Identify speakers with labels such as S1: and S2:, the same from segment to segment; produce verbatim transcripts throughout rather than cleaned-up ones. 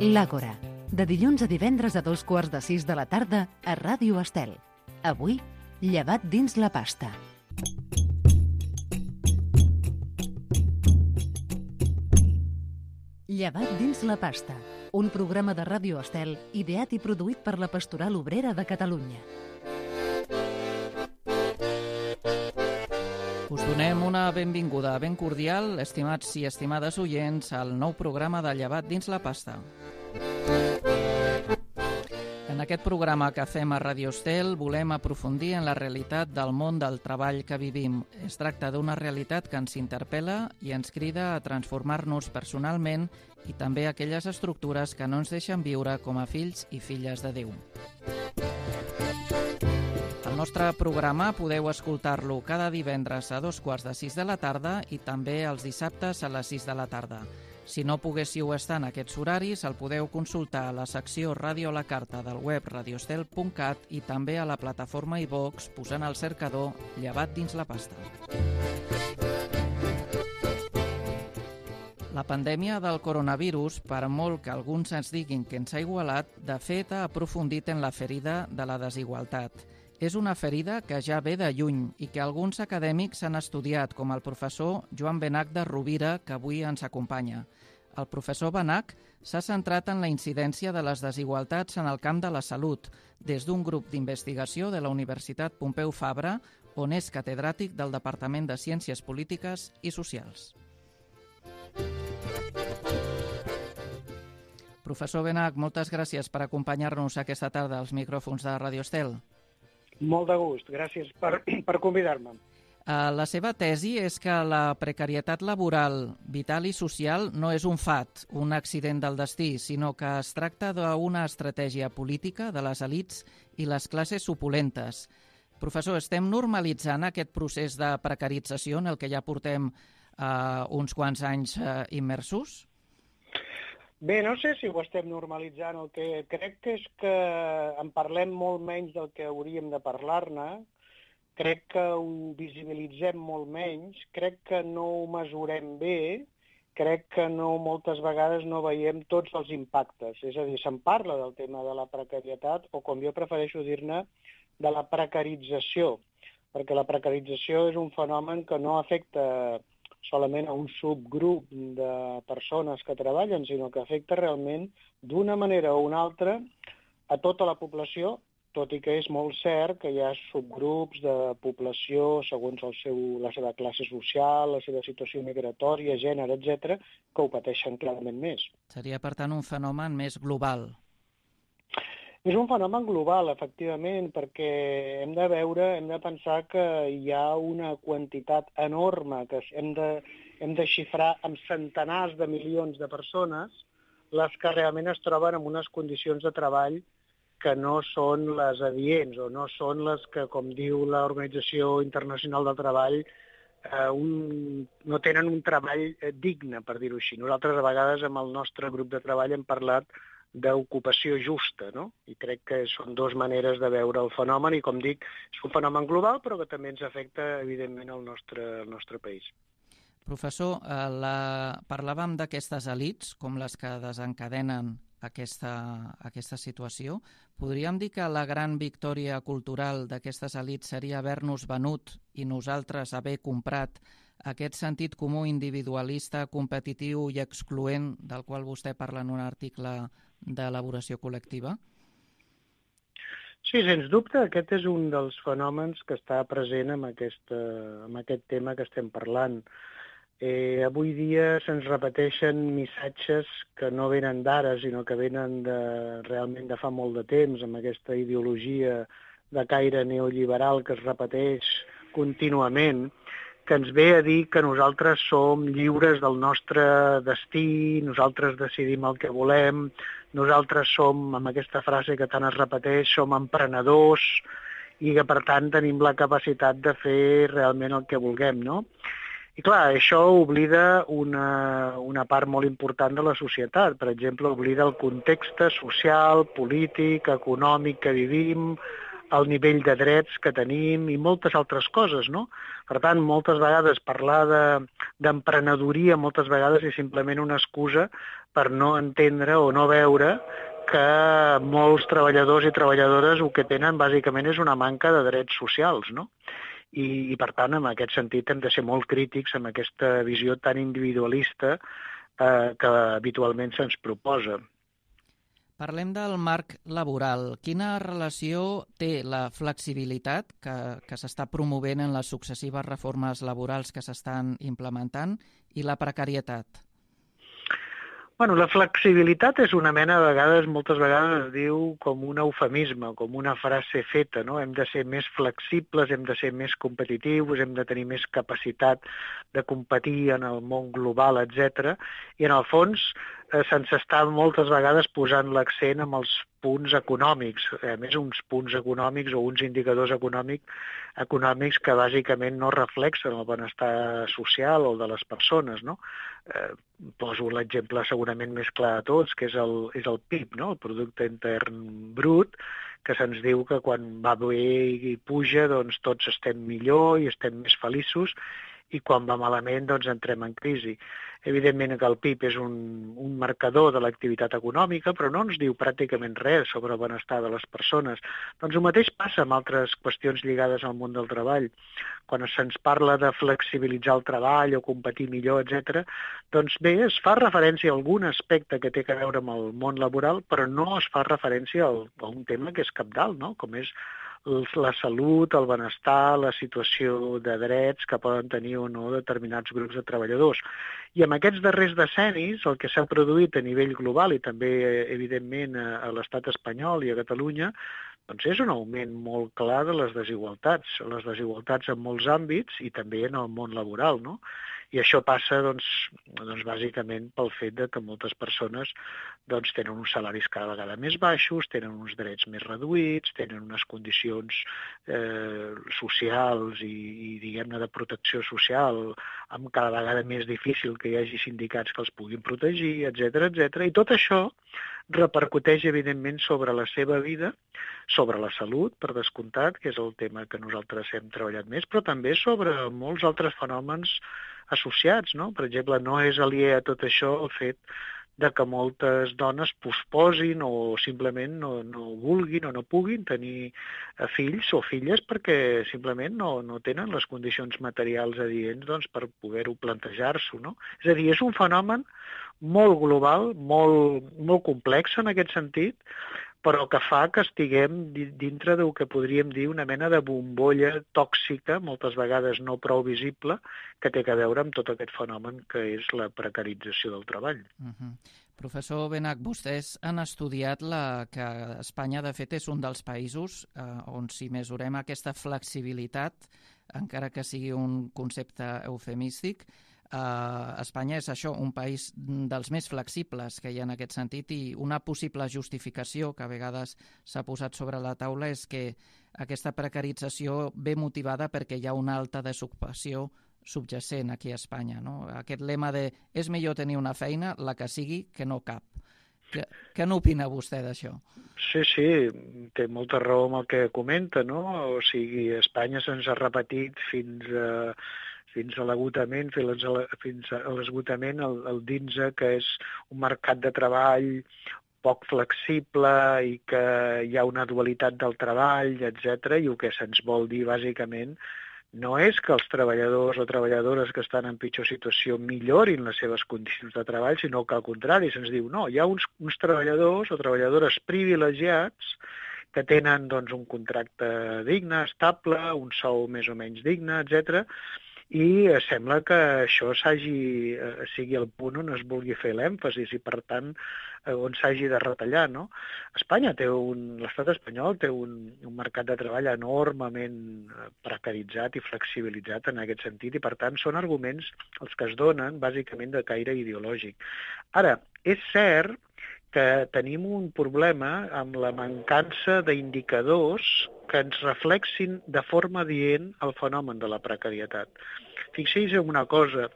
S1: L'Àgora, de dilluns a divendres a dos quarts de sis de la tarda a Ràdio Estel. Avui, llevat dins la pasta. Llevat dins la pasta, un programa de Ràdio Estel ideat i produït per la Pastoral Obrera de Catalunya.
S2: Us donem una benvinguda ben cordial, estimats i estimades oients, al nou programa de Llevat dins la pasta. En aquest programa que fem a Ràdio Estel volem aprofundir en la realitat del món del treball que vivim. Es tracta d'una realitat que ens interpel·la i ens crida a transformar-nos personalment i també aquelles estructures que no ens deixen viure com a fills i filles de Déu. El nostre programa podeu escoltar-lo cada divendres a dos quarts de sis de la tarda i també els dissabtes a les sis de la tarda. Si no poguéssiu estar en aquests horaris, el podeu consultar a la secció Ràdio a la Carta del web radiostel punt cat i també a la plataforma iVox posant al cercador Llevat dins la pasta. La pandèmia del coronavirus, per molt que alguns ens diguin que ens ha igualat, de fet ha aprofundit en la ferida de la desigualtat. És una ferida que ja ve de lluny i que alguns acadèmics han estudiat, com el professor Joan Benach de Rovira, que avui ens acompanya. El professor Benach s'ha centrat en la incidència de les desigualtats en el camp de la salut, des d'un grup d'investigació de la Universitat Pompeu Fabra, on és catedràtic del Departament de Ciències Polítiques i Socials. Professor Benach, moltes gràcies per acompanyar-nos aquesta tarda als micròfons de Ràdio Estel.
S3: Molt de gust, gràcies per, per convidar-me.
S2: Uh, la seva tesi és que la precarietat laboral, vital i social no és un fat, un accident del destí, sinó que es tracta d'una estratègia política de les elits i les classes opulentes. Professor, estem normalitzant aquest procés de precarització en el que ja portem uh, uns quants anys uh, immersos?
S3: Bé, no sé si ho estem normalitzant. El que crec que és que en parlem molt menys del que hauríem de parlar-ne, crec que ho visibilitzem molt menys, crec que no ho mesurem bé, crec que no, moltes vegades no veiem tots els impactes. És a dir, se'n parla del tema de la precarietat, o com jo prefereixo dir-ne, de la precarització, perquè la precarització és un fenomen que no afecta solament a un subgrup de persones que treballen, sinó que afecta realment d'una manera o una altra a tota la població, tot i que és molt cert que hi ha subgrups de població segons el seu, la seva classe social, la seva situació migratòria, gènere, etcètera, que ho pateixen clarament més.
S2: Seria, per tant, un fenomen més global.
S3: És un fenomen global, efectivament, perquè hem de veure, hem de pensar que hi ha una quantitat enorme que hem de, hem de xifrar amb centenars de milions de persones, les que realment es troben en unes condicions de treball que no són les adients o no són les que, com diu l'Organització Internacional del Treball, eh, un, no tenen un treball digne, per dir-ho així. Nosaltres, a vegades, amb el nostre grup de treball hem parlat d'ocupació justa, no? I crec que són dues maneres de veure el fenomen i, com dic, és un fenomen global, però que també ens afecta, evidentment, al nostre, al nostre país.
S2: Professor, eh, la... parlàvem d'aquestes elits, com les que desencadenen aquesta, aquesta situació. Podríem dir que la gran victòria cultural d'aquestes elits seria haver-nos venut i nosaltres haver comprat aquest sentit comú individualista, competitiu i excloent del qual vostè parla en un article d'elaboració col·lectiva?
S3: Sí, sens dubte, aquest és un dels fenòmens que està present amb, aquesta, amb aquest tema que estem parlant. Eh, avui dia se'ns repeteixen missatges que no venen d'ara, sinó que venen de, realment de fa molt de temps, amb aquesta ideologia de caire neoliberal que es repeteix contínuament, que ens ve a dir que nosaltres som lliures del nostre destí, nosaltres decidim el que volem, nosaltres som, amb aquesta frase que tant es repeteix, som emprenedors i que, per tant, tenim la capacitat de fer realment el que vulguem, no? I, clar, això oblida una, una part molt important de la societat. Per exemple, oblida el context social, polític, econòmic que vivim, el nivell de drets que tenim i moltes altres coses, no? Per tant, moltes vegades parlar de, d'emprenedoria moltes vegades és simplement una excusa per no entendre o no veure que molts treballadors i treballadores el que tenen bàsicament és una manca de drets socials, no? I, i per tant, en aquest sentit, hem de ser molt crítics amb aquesta visió tan individualista eh, que habitualment se'ns proposa.
S2: Parlem del marc laboral. Quina relació té la flexibilitat que, que s'està promovent en les successives reformes laborals que s'estan implementant i la precarietat?
S3: Bueno, la flexibilitat és una mena, de vegades, moltes vegades es diu com un eufemisme, com una frase feta, no? Hem de ser més flexibles, hem de ser més competitius, hem de tenir més capacitat de competir en el món global, etcètera. I en el fons eh, se'ns està moltes vegades posant l'accent amb els punts econòmics, a més uns punts econòmics o uns indicadors econòmics, econòmics que bàsicament no reflexen el benestar social o de les persones, no? Eh, poso l'exemple segurament més clar de tots, que és el, és el P I B, no? El Producte Intern Brut, que se'ns diu que quan va bé i puja, doncs tots estem millor i estem més feliços, i quan va malament, doncs entrem en crisi. Evidentment que el P I B és un, un marcador de l'activitat econòmica, però no ens diu pràcticament res sobre el benestar de les persones. Doncs el mateix passa amb altres qüestions lligades al món del treball. Quan se'ns parla de flexibilitzar el treball o competir millor, etcètera, doncs bé, es fa referència a algun aspecte que té a veure amb el món laboral, però no es fa referència a un tema que és cabdal, no? Com és la salut, el benestar, la situació de drets que poden tenir o no determinats grups de treballadors. I amb aquests darrers decennis, el que s'ha produït a nivell global i també, evidentment, a l'estat espanyol i a Catalunya, doncs és un augment molt clar de les desigualtats, les desigualtats en molts àmbits i també en el món laboral, no? I això passa, doncs, doncs bàsicament pel fet de que moltes persones doncs, tenen uns salaris cada vegada més baixos, tenen uns drets més reduïts, tenen unes condicions eh, socials i, i diguem-ne, de protecció social amb cada vegada més difícil que hi hagi sindicats que els puguin protegir, etcètera, etcètera. I tot això repercuteix, evidentment, sobre la seva vida, sobre la salut, per descomptat, que és el tema que nosaltres hem treballat més, però també sobre molts altres fenòmens associats, no? Per exemple, no és aliè a tot això el fet de que moltes dones posposin o simplement no, no vulguin o no puguin tenir fills o filles perquè simplement no, no tenen les condicions materials adients doncs, per poder-ho plantejar-s'ho, no? És a dir, és un fenomen molt global, molt, molt complex en aquest sentit, però que fa que estiguem dintre del que podríem dir una mena de bombolla tòxica, moltes vegades no prou visible, que té a veure amb tot aquest fenomen que és la precarització del treball.
S2: Uh-huh. Professor Benach, vostès han estudiat la, que Espanya, de fet, és un dels països eh, on si mesurem aquesta flexibilitat, encara que sigui un concepte eufemístic, Uh, Espanya és això, un país dels més flexibles que hi ha en aquest sentit, i una possible justificació que a vegades s'ha posat sobre la taula és que aquesta precarització ve motivada perquè hi ha una alta desocupació subjacent aquí a Espanya, no? Aquest lema de és millor tenir una feina, la que sigui, que no cap. Què, què n'opina vostè d'això?
S3: Sí, sí, té molta raó amb el que comenta, no? O sigui, a Espanya se'ns ha repetit fins a fins a l'agotament, fins a l'esgotament, el, el dir-nos que és un mercat de treball poc flexible i que hi ha una dualitat del treball, etcètera. I el que se'ns vol dir, bàsicament, no és que els treballadors o treballadores que estan en pitjor situació millorin les seves condicions de treball, sinó que al contrari, se'ns diu, no, hi ha uns, uns treballadors o treballadores privilegiats que tenen doncs, un contracte digne, estable, un sou més o menys digne, etcètera, i sembla que això s'hagi, sigui el punt on es vulgui fer l'èmfasis i, per tant, on s'hagi de retallar, no? Espanya té un, l'estat espanyol té un, un mercat de treball enormement precaritzat i flexibilitzat en aquest sentit i, per tant, són arguments els que es donen bàsicament de caire ideològic. Ara, és cert que tenim un problema amb la mancança d'indicadors que ens reflexin de forma adient el fenomen de la precarietat. Fixeu-vos en una cosa,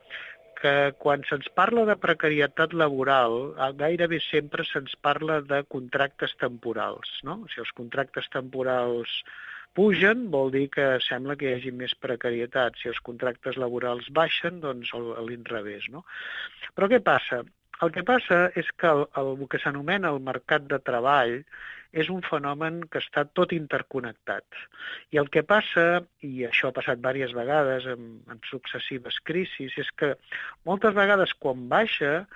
S3: que quan se'ns parla de precarietat laboral, gairebé sempre se'ns parla de contractes temporals, no? Si els contractes temporals pugen, vol dir que sembla que hi hagi més precarietat. Si els contractes laborals baixen, doncs a l'inrevés, no? Però què passa? El que passa és que el, el, el que s'anomena el mercat de treball és un fenomen que està tot interconnectat. I el que passa, i això ha passat diverses vegades en, en successives crisis, és que moltes vegades quan baixa,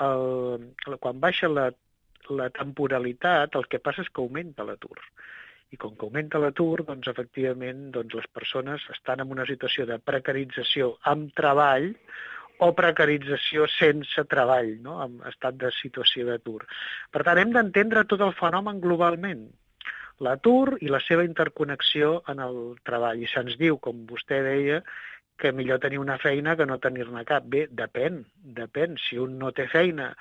S3: el, quan baixa la, la temporalitat, el que passa és que augmenta l'atur. I com que augmenta l'atur, doncs, efectivament, doncs, les persones estan en una situació de precarització amb treball o precarització sense treball, no? En estat de situació d'atur. Per tant, hem d'entendre tot el fenomen globalment, l'atur i la seva interconnexió en el treball. I se'ns diu, com vostè deia, que millor tenir una feina que no tenir-ne cap. Bé, depèn, depèn. Si un no té feina,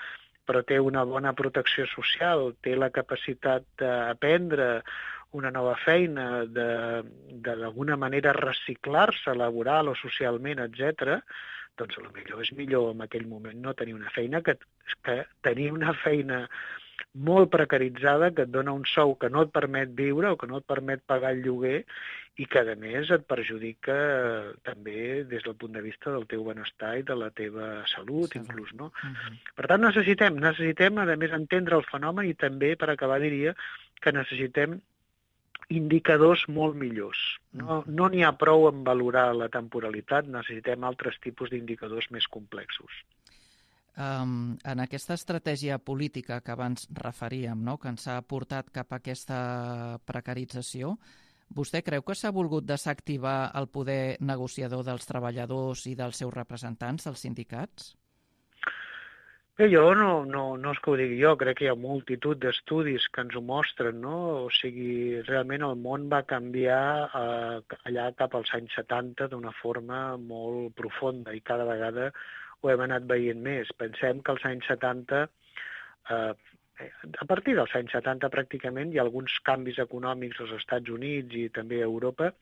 S3: però té una bona protecció social, té la capacitat d'aprendre una nova feina, de d'alguna manera reciclar-se laboral o socialment, etcètera, doncs potser és millor en aquell moment no tenir una feina que, que tenir una feina molt precaritzada que et dona un sou que no et permet viure o que no et permet pagar el lloguer i que, a més, et perjudica també des del punt de vista del teu benestar i de la teva salut, sí, inclús, no? Uh-huh. Per tant, necessitem, necessitem, a més, entendre el fenomen i també, per acabar, diria que necessitem indicadors molt millors. No no n'hi ha prou en valorar la temporalitat, necessitem altres tipus d'indicadors més complexos.
S2: Um, en aquesta estratègia política que abans referíem, no?, que ens ha portat cap a aquesta precarització, vostè creu que s'ha volgut desactivar el poder negociador dels treballadors i dels seus representants, els sindicats?
S3: Bé, jo no, no, no és que ho digui jo, crec que hi ha multitud d'estudis que ens ho mostren, no? O sigui, realment el món va canviar eh, allà cap als anys setanta d'una forma molt profunda i cada vegada ho hem anat veient més. Pensem que als anys setanta, eh, a partir dels anys setanta pràcticament hi ha alguns canvis econòmics als Estats Units i també a Europa.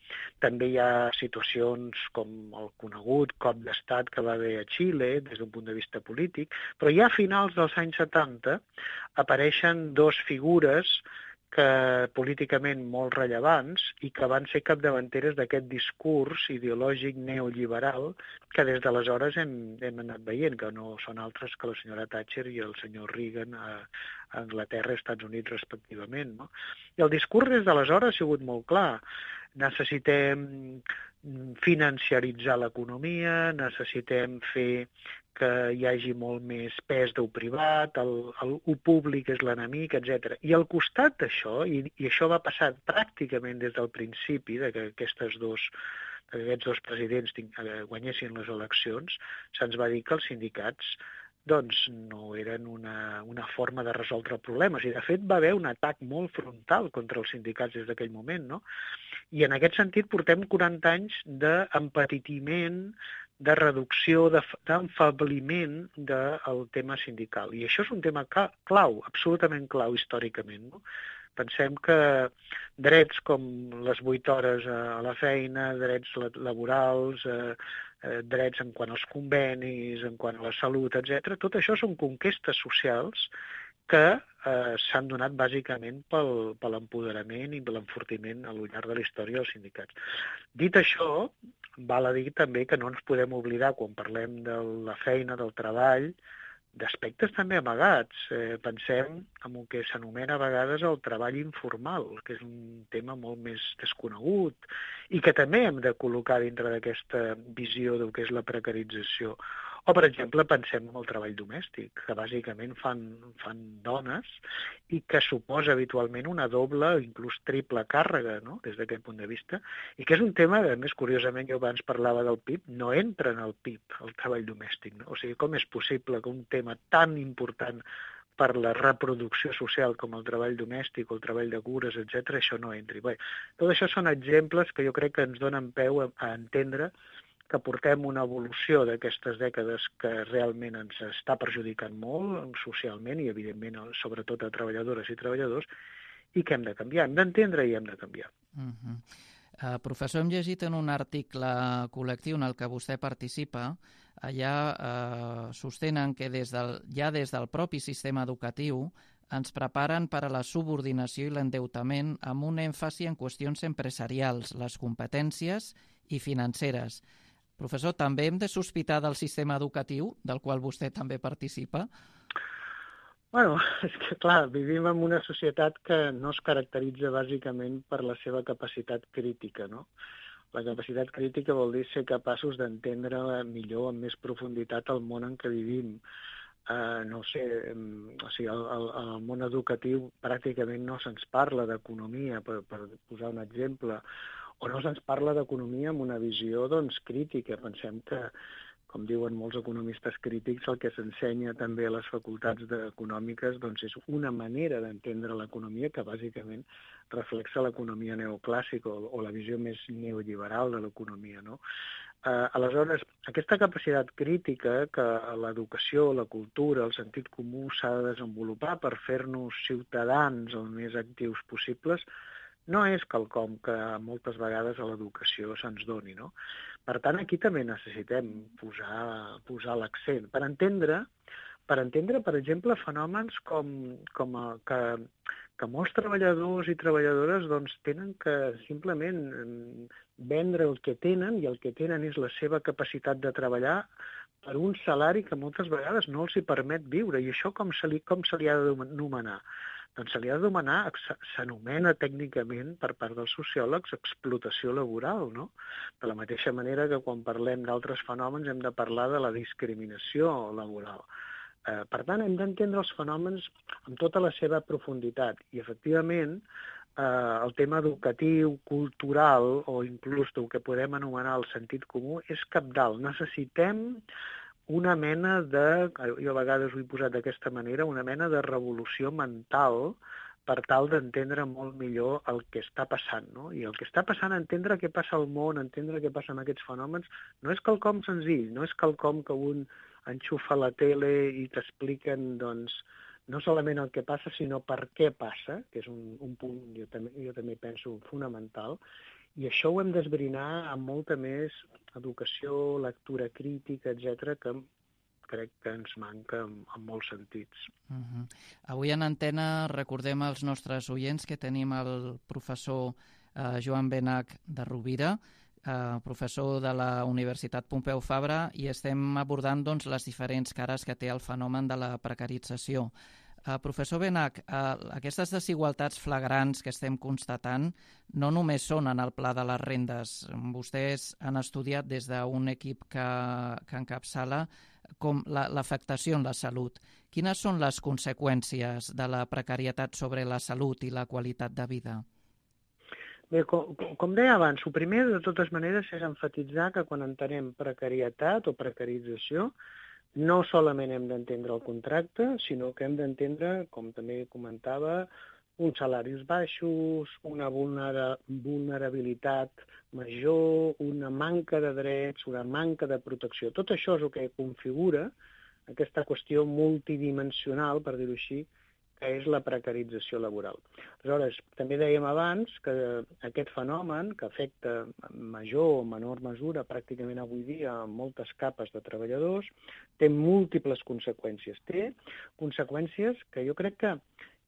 S3: També hi ha situacions com el conegut cop d'estat que va haver a Xile des d'un punt de vista polític, però ja a finals dels anys setanta apareixen dos figures que políticament molt rellevants i que van ser capdavanteres d'aquest discurs ideològic neoliberal que des d'aleshores hem, hem anat veient, que no són altres que la senyora Thatcher i el senyor Reagan a, a Anglaterra i Estats Units respectivament, no? I el discurs des d'aleshores ha sigut molt clar. Necessitem financiaritzar l'economia, necessitem fer que hi hagi molt més pes del privat, el, el, el públic és l'enemic, etcètera. I al costat d'això, i, i això va passar pràcticament des del principi de que aquestes dos, que aquests dos presidents guanyessin les eleccions, se'ns va dir que els sindicats doncs no eren una, una forma de resoldre problemes. I, de fet, va haver un atac molt frontal contra els sindicats des d'aquell moment, no? I en aquest sentit portem quaranta anys d'empetitiment, de reducció, d'enfabliment del tema sindical. I això és un tema clau, absolutament clau històricament, no? Pensem que drets com les vuit hores a la feina, drets laborals, eh, drets en quant als convenis, en quant a la salut, etcètera, tot això són conquestes socials que eh, s'han donat bàsicament pel, per l'empoderament i per l'enfortiment al llarg de la història dels sindicats. Dit això, val a dir també que no ens podem oblidar, quan parlem de la feina, del treball, d'aspectes també amagats. Eh, pensem en el que s'anomena a vegades el treball informal, que és un tema molt més desconegut i que també hem de col·locar dintre d'aquesta visió del que és la precarització. O, per exemple, pensem en el treball domèstic, que bàsicament fan, fan dones i que suposa habitualment una doble o inclús triple càrrega, no?, des d'aquest punt de vista, i que és un tema, a més, curiosament, jo abans parlava del P I B, no entra en el P I B, el treball domèstic, no? O sigui, com és possible que un tema tan important per la reproducció social com el treball domèstic o el treball de cures, etcètera, això no entri. Bé, tot això són exemples que jo crec que ens donen peu a, a entendre que portem una evolució d'aquestes dècades que realment ens està perjudicant molt socialment i, evidentment, sobretot a treballadores i treballadors, i que hem de canviar. Hem d'entendre i hem de canviar.
S2: Uh-huh. uh, professor, hem llegit en un article col·lectiu en el que vostè participa, allà uh, sostenen que des del, ja des del propi sistema educatiu ens preparen per a la subordinació i l'endeutament amb un èmfasi en qüestions empresarials, les competències i financeres. Professor, també hem de sospitar del sistema educatiu, del qual vostè també participa?
S3: Bueno, és que clar, vivim en una societat que no es caracteritza bàsicament per la seva capacitat crítica, no? La capacitat crítica vol dir ser capaços d'entendre millor, amb més profunditat, el món en què vivim. Uh, no ho sé, um, o sigui, el, el, el món educatiu pràcticament no se'ns parla d'economia, per, per posar un exemple, o no se'ns parla d'economia amb una visió doncs, crítica. Pensem que, com diuen molts economistes crítics, el que s'ensenya també a les facultats econòmiques doncs, és una manera d'entendre l'economia que bàsicament reflexa l'economia neoclàssica o, o la visió més neoliberal de l'economia, no? Uh, aleshores, aquesta capacitat crítica que l'educació, la cultura, el sentit comú s'ha de desenvolupar per fer-nos ciutadans el més actius possibles, no és quelcom que moltes vegades a l'educació se'ns doni, no? Per tant, aquí també necessitem posar, posar l'accent per entendre, per entendre, per exemple, fenòmens com, com a, que, que molts treballadors i treballadores doncs, tenen que simplement vendre el que tenen, i el que tenen és la seva capacitat de treballar per un salari que moltes vegades no els hi permet viure. I això com se li, com se li ha d'anomenar? Doncs se li ha de demanar, s'anomena tècnicament per part dels sociòlegs explotació laboral, no? De la mateixa manera que quan parlem d'altres fenòmens hem de parlar de la discriminació laboral. Eh, per tant, hem d'entendre els fenòmens amb tota la seva profunditat i, efectivament, eh, el tema educatiu, cultural o inclús el que podem anomenar el sentit comú és cabdal. Necessitem una mena de, jo a vegades ho he posat d'aquesta manera, una mena de revolució mental per tal d'entendre molt millor el que està passant, no? I el que està passant, entendre què passa al món, entendre què passa amb aquests fenòmens, no és quelcom senzill, no és quelcom que un enxufa la tele i t'expliquen, doncs, no solament el que passa, sinó per què passa, que és un, un punt, jo també, jo també penso, fonamental. I això ho hem d'esbrinar amb molta més educació, lectura crítica, etcètera, que crec que ens manca en, en molts sentits.
S2: Uh-huh. Avui en antena recordem als nostres oients que tenim el professor eh, Joan Benach de Rovira, eh, professor de la Universitat Pompeu Fabra, i estem abordant doncs, les diferents cares que té el fenomen de la precarització. Uh, professor Benach, uh, aquestes desigualtats flagrants que estem constatant no només són en el pla de les rendes. Vostès han estudiat des d'un equip que, que encapçala com la, l'afectació en la salut. Quines són les conseqüències de la precarietat sobre la salut i la qualitat de vida?
S3: Bé, com, com deia abans, el primer, de totes maneres, és enfatitzar que quan entenem precarietat o precarització, no solament hem d'entendre el contracte, sinó que hem d'entendre, com també comentava, uns salaris baixos, una vulnera, vulnerabilitat major, una manca de drets, una manca de protecció. Tot això és el que configura aquesta qüestió multidimensional, per dir-ho així, que és la precarització laboral. Aleshores, també dèiem abans que aquest fenomen, que afecta en major o menor mesura pràcticament avui dia a moltes capes de treballadors, té múltiples conseqüències. Té conseqüències que jo crec que,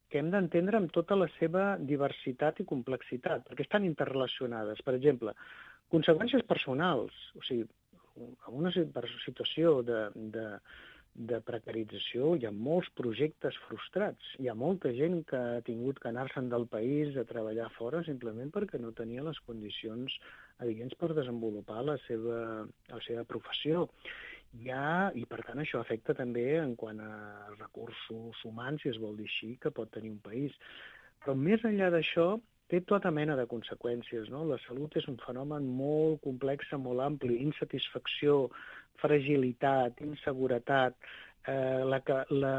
S3: que hem d'entendre amb tota la seva diversitat i complexitat, perquè estan interrelacionades. Per exemple, conseqüències personals, o sigui, en una situació de... de de precarització, hi ha molts projectes frustrats. Hi ha molta gent que ha tingut que anar-se'n del país a treballar fora simplement perquè no tenia les condicions adients per desenvolupar la seva, la seva professió. Hi ha, i per tant això afecta també en quant a recursos humans, si es vol dir així, que pot tenir un país. Però més enllà d'això, té tota mena de conseqüències, no? La salut és un fenomen molt complex, molt ampli, insatisfacció, fragilitat, inseguretat, eh, la, la,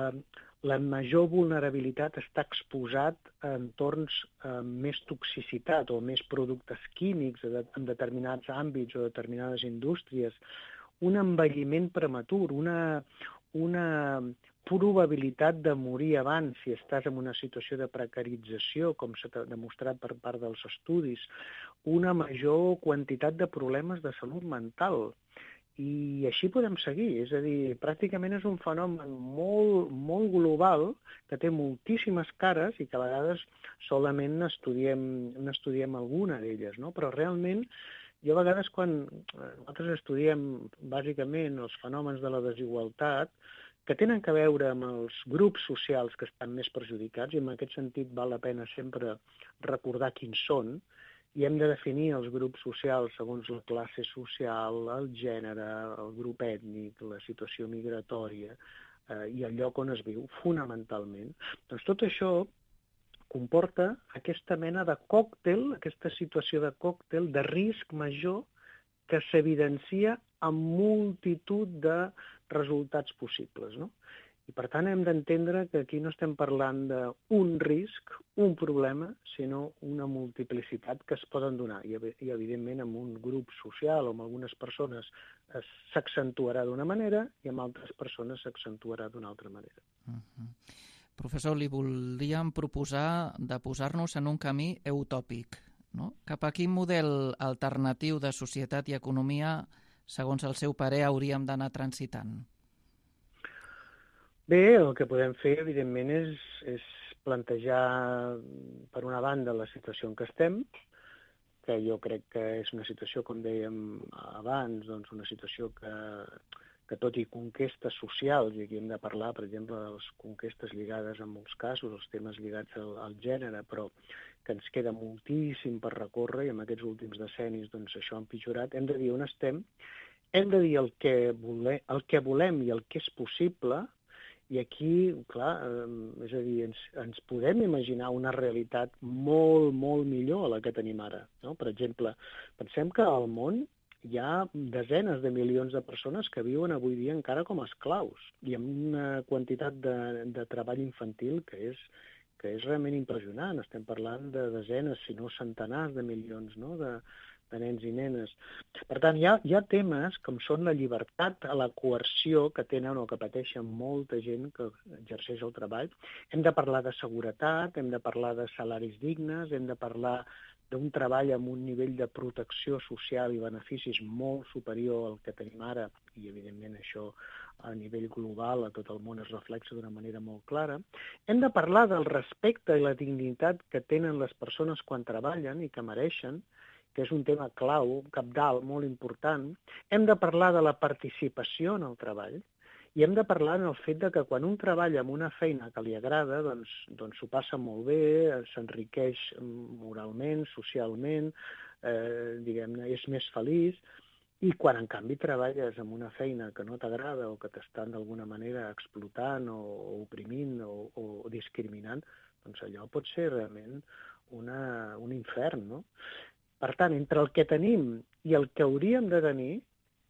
S3: la major vulnerabilitat està exposat a entorns amb més toxicitat o més productes químics en determinats àmbits o determinades indústries, un envelliment prematur, una, una probabilitat de morir abans si estàs en una situació de precarització, com s'ha demostrat per part dels estudis, una major quantitat de problemes de salut mental. I així podem seguir, és a dir, pràcticament és un fenomen molt, molt global que té moltíssimes cares i que a vegades solament n'estudiem, n'estudiem alguna d'elles, no? Però realment jo a vegades quan nosaltres estudiem bàsicament els fenòmens de la desigualtat, que tenen a veure amb els grups socials que estan més perjudicats, i en aquest sentit val la pena sempre recordar quins són, i hem de definir els grups socials segons la classe social, el gènere, el grup ètnic, la situació migratòria eh, i el lloc on es viu, fonamentalment. Doncs tot això comporta aquesta mena de còctel, aquesta situació de còctel de risc major que s'evidencia amb multitud de resultats possibles, no? I per tant hem d'entendre que aquí no estem parlant d'un risc, un problema, sinó una multiplicitat que es poden donar. I, i evidentment, amb un grup social o amb algunes persones s'accentuarà d'una manera i amb altres persones s'accentuarà d'una altra manera.
S2: Uh-huh. Professor, li voldríem proposar de posar-nos en un camí utòpic, no? Cap a quin model alternatiu de societat i economia, segons el seu parer, hauríem d'anar transitant?
S3: Bé, el que podem fer, evidentment, és, és plantejar, per una banda, la situació en què estem, que jo crec que és una situació, com dèiem abans, doncs una situació que, que tot i conquestes socials, i aquí hem de parlar, per exemple, de les conquestes lligades en molts casos, els temes lligats al, al gènere, però que ens queda moltíssim per recórrer, i en aquests últims decennis doncs, això ha empitjorat. Hem de dir on estem, hem de dir el que, volem, el que volem i el que és possible, i aquí, clar, eh, és a dir, ens, ens podem imaginar una realitat molt, molt millor a la que tenim ara, no? Per exemple, pensem que al món hi ha desenes de milions de persones que viuen avui dia encara com a esclaus i amb una quantitat de, de treball infantil que és, que és realment impressionant. Estem parlant de desenes, si no centenars de milions, no? de, de nens i nenes. Per tant, hi ha, hi ha temes com són la llibertat a la coerció que tenen o que pateixen molta gent que exerceix el treball. Hem de parlar de seguretat, hem de parlar de salaris dignes, hem de parlar d'un treball amb un nivell de protecció social i beneficis molt superior al que tenim ara, i evidentment això a nivell global a tot el món es reflexa d'una manera molt clara. Hem de parlar del respecte i la dignitat que tenen les persones quan treballen i que mereixen, que és un tema clau, cabdal, molt important. Hem de parlar de la participació en el treball, i hem de parlar en el fet de que quan un treballa en una feina que li agrada, doncs, doncs s'ho passa molt bé, s'enriqueix moralment, socialment, eh, diguem-ne, és més feliç, i quan en canvi treballes en una feina que no t'agrada o que t'estan d'alguna manera explotant o, o oprimint o, o discriminant, doncs allò pot ser realment una, un infern, no? Per tant, entre el que tenim i el que hauríem de tenir,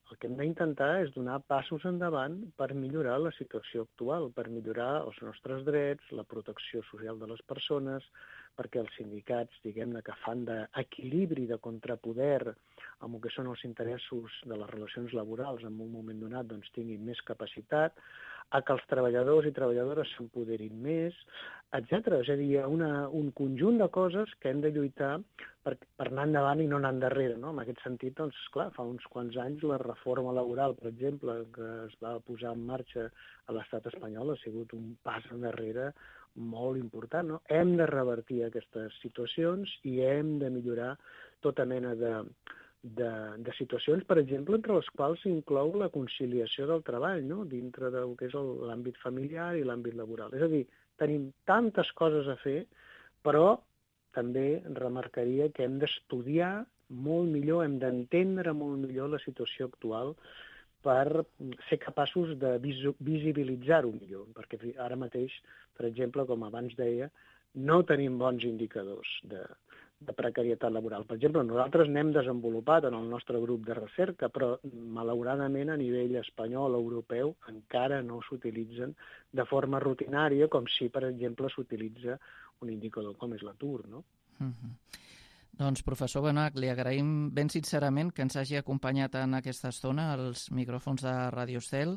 S3: el que hem d'intentar és donar passos endavant per millorar la situació actual, per millorar els nostres drets, la protecció social de les persones, perquè els sindicats, diguem-ne, que fan d'equilibri, de contrapoder amb el que són els interessos de les relacions laborals en un moment donat, doncs tinguin més capacitat, a que els treballadors i treballadores s'empoderin més, etcètera. És a dir, hi ha una, un conjunt de coses que hem de lluitar per, per anar endavant i no anar endarrere, no? En aquest sentit, doncs, clar, fa uns quants anys la reforma laboral, per exemple, que es va posar en marxa a l'estat espanyol ha sigut un pas endarrere molt important, no? Hem de revertir aquestes situacions i hem de millorar tota mena de, de, de situacions, per exemple, entre les quals s'inclou la conciliació del treball, no? Dintre del que és l'àmbit familiar i l'àmbit laboral. És a dir, tenim tantes coses a fer, però també remarcaria que hem d'estudiar molt millor, hem d'entendre molt millor la situació actual per ser capaços de visibilitzar-ho millor, perquè ara mateix, per exemple, com abans deia, no tenim bons indicadors de, de precarietat laboral. Per exemple, nosaltres n'hem desenvolupat en el nostre grup de recerca, però malauradament a nivell espanyol o europeu encara no s'utilitzen de forma rutinària, com si, per exemple, s'utilitza un indicador com és l'atur, no?
S2: Mm-hmm. Doncs, professor Benach, li agraïm ben sincerament que ens hagi acompanyat en aquesta estona als micròfons de Ràdio Estel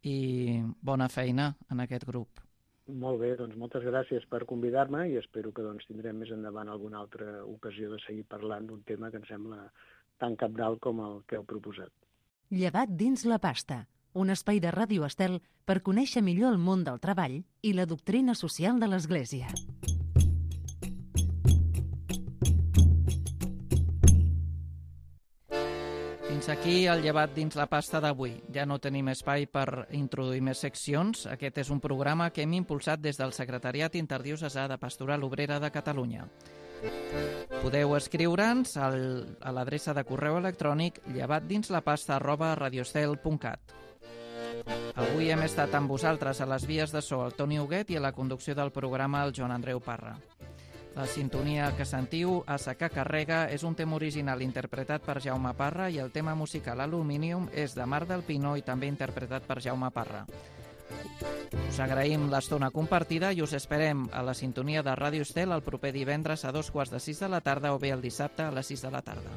S2: i bona feina en aquest grup.
S3: Molt bé, doncs moltes gràcies per convidar-me i espero que doncs, tindrem més endavant alguna altra ocasió de seguir parlant d'un tema que em sembla tan cabdal com el que heu proposat.
S1: Llevat dins la pasta, un espai de Ràdio Estel per conèixer millor el món del treball i la doctrina social de l'Església.
S2: Fins aquí el llevat dins la pasta d'avui. Ja no tenim espai per introduir més seccions. Aquest és un programa que hem impulsat des del Secretariat Interdiocesà de Pastoral Obrera de Catalunya. Podeu escriure'ns a l'adreça de correu electrònic llevatdinslapasta arroba radiostel punt cat. Avui hem estat amb vosaltres a les vies de so el Toni Huguet i a la conducció del programa el Joan Andreu Parra. La sintonia que sentiu, Asa que carrega, és un tema original interpretat per Jaume Parra i el tema musical Aluminium és de Mar del Pino i també interpretat per Jaume Parra. Us agraïm l'estona compartida i us esperem a la sintonia de Ràdio Estel el proper divendres a dos quarts de sis de la tarda o bé el dissabte a les sis de la tarda.